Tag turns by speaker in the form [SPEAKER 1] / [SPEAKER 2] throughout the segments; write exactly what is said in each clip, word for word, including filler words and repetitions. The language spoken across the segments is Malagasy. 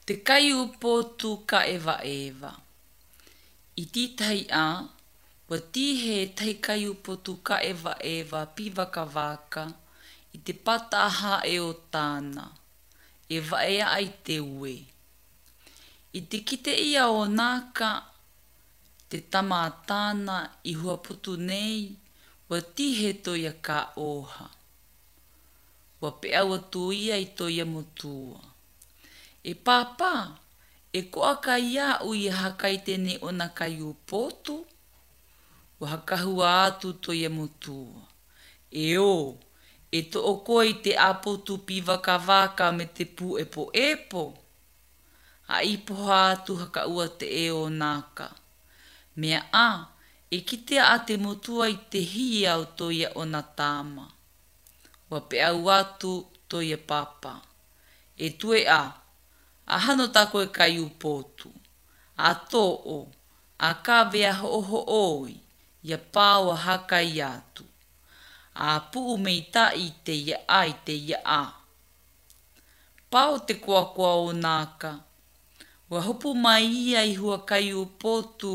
[SPEAKER 1] Te kaiupotu kaʻewaʻewa. I tītahi a, ua tīhe tahi kaiupotu kaʻewaʻewa pīwakawaka i te pata hae o tāna, e waea ai te ue. I te kite ia o Naka, te tama a tāna i huaputu nei, ua tihe toia ka oha. Ua peau atu ia i toia motua. E pāpā, e koa kai au i hakai tēnei ona kai upotu? Ua hakahua atu toia motua. E o, e to o koe i te apotu pīwakawaka me te pūepo epo. A ipoha atu hakaua te e o Naka. Mea a, e kitea a te motua i te hia o toia ona tama. Ua peau atu toia pāpā. E tue a, a hano tā koe kai upotu. A tō'o, a kawea ho'oho'oi, ia pāo a hakai atu. A puu me i tai te ia a i te ia a. Pāo te koakoa o Naka. Ua hopu mai ia i hua kai upotu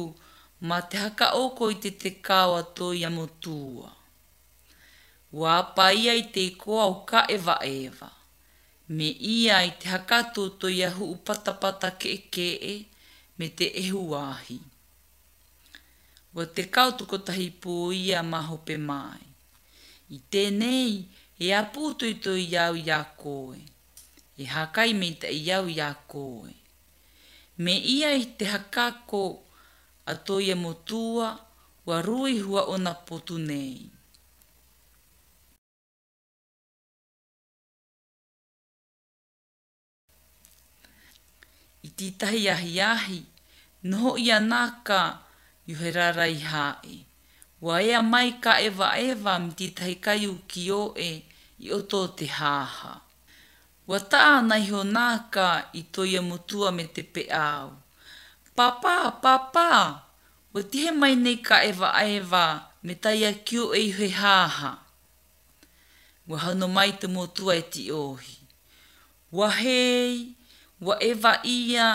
[SPEAKER 1] ma te hakaoko i te te kawa toia motua. Ua apa ia i te ikoa o kaʻewaʻewa. Me ia i te hakatu toia huu patapata ke'eke'e me te ehuahi. Ua te kau tukotahi pū ia mahope mai. I tēnei, e apu toitoi au i a koe. E hakai me te i au i a koe. Me ia i te hakako a toia motua, ua rui hua ona potu nei. I tītahi ahi ahi, noho ia naka i he rarai hae. Ua ea mai ka ewa ewa me tītahi kai u ki oe i oto o te haha. Ua taa ana iho naka i toia motua me te peau. Pāpā, pāpā, ua tihe mai nei ka ewa ewa me taia ki oe i he haha. Ua hano mai te motua e ti ohi. Ua hei, ua ewa ia,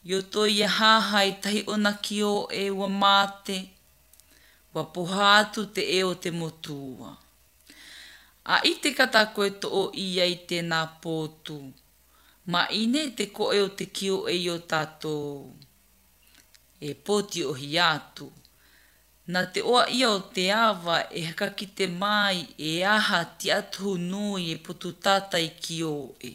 [SPEAKER 1] i o toia haha i tahi ona ki oe ua mate. Ua poha atu te e o te motua. A i te kata koe to o ia i tēnā pōtu. Ma ine te koe o te ki oe i o tātou. E pōti ohi atu. Nā te oa ia o te awa e hakakite mai e aha ti atuhu nui e potu tātai ki oe.